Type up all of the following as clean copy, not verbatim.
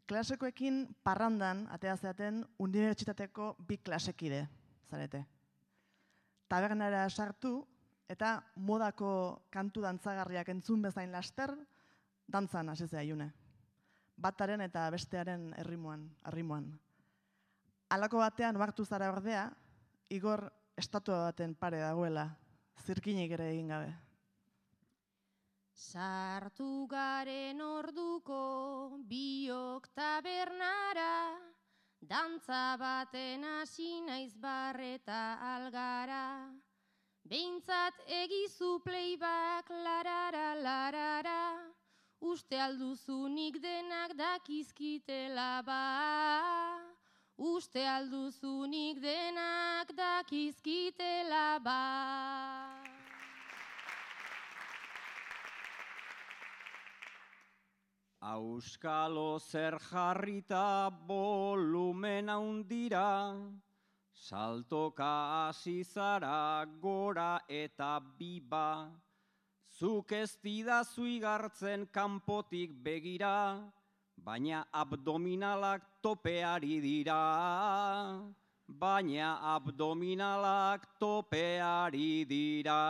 klasekoekin parrandan, atea zeaten, unibertsitateko 2 klasekide, zarete. Tabernara sartu, eta modako kantu dantzagarriak entzun bezain laster, dantzan hasi zaiune. Bataren eta bestearen arrimoan. Halako batean ohartu zara ordea, Igor estatua baten pare dagoela, zirkinik ere egin gabe. Sartu garen orduko biok tabernara, dantza baten hasi naiz barreta algara. Behintzat egizu playback larara larara, uste alduzunik denak dakizkitela ba. Uste alduzunik denak dakizkitela ba. Auskalo zer jarrita volumen handira, saltoka hasi zara gora eta biba. Zuk ez didazu igartzen kanpotik begira, baina abdominalak topeari dira. Baina abdominalak topeari dira.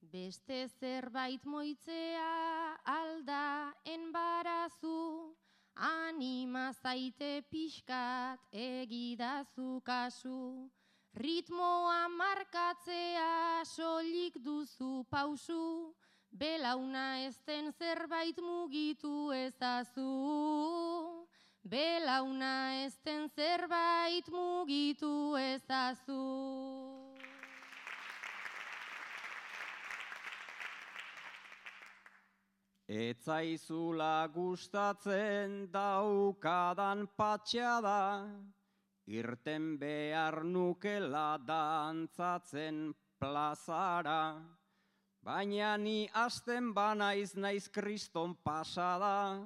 Beste zerbait moitzea alda enbarazu, anima zaite pixkat egidazu kasu. Ritmoa markatzea soilik duzu pausu, belauna ezten zerbait mugitu ezazu. Belauna ezten zerbait mugitu ezazu. Etzaizula gustatzen daukadan patxada, irten behar nukela dantzatzen plazara. Baina ni hasten banaiz naiz kriston pasada,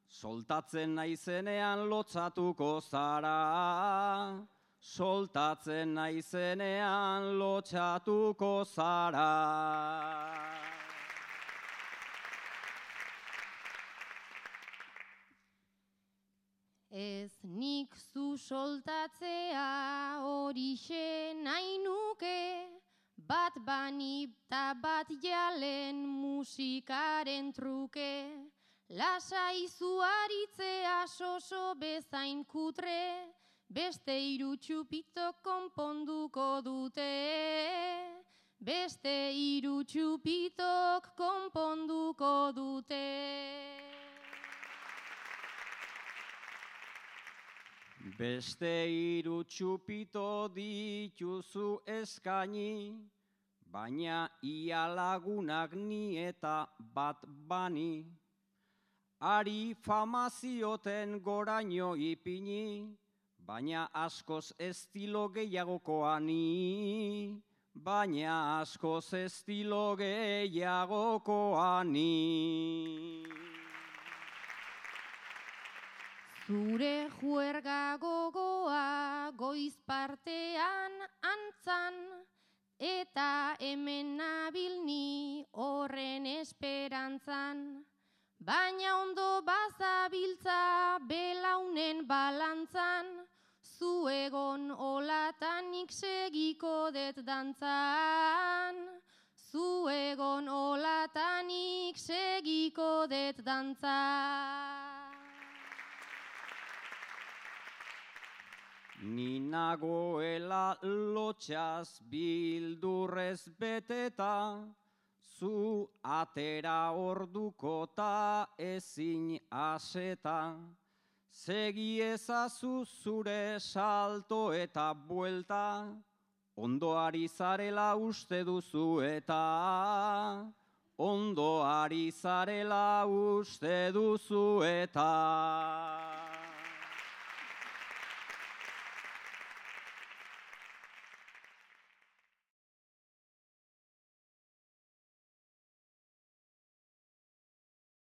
soltatzen naizenean lotsatuko zara. Soltatzen naizenean lotsatuko zara. Ez nik zu soltatzea horixe nahi nuke, bat bani eta bat jalen musikaren truke. Lasai zu aritzea soso bezain kutre, beste 3 txupitok konponduko dute. Beste 3 txupitok konponduko dute. Beste 3 txupito dituzu eskaini, baina ia lagunak ni eta bat bani. Ari famazioten goraino ipini, baina askoz estilo gehiagokoa ni. Baina askoz estilo gehiagokoa ni. Zure juerga gogoa goiz partean antzan, eta hemen nabil ni horren esperantzan. Baina ondo bazabiltza belaunen balantzan, zu egon olatanik segiko det dantzan. Zu egon olatanik segiko det dantzan. Ni nagoela lotxaz bildurrez beteta, zu atera orduko ta ezin aseta. Segi ezazu zure salto eta buelta, ondo ari zarela uste duzu eta. Ondo ari zarela uste duzu eta.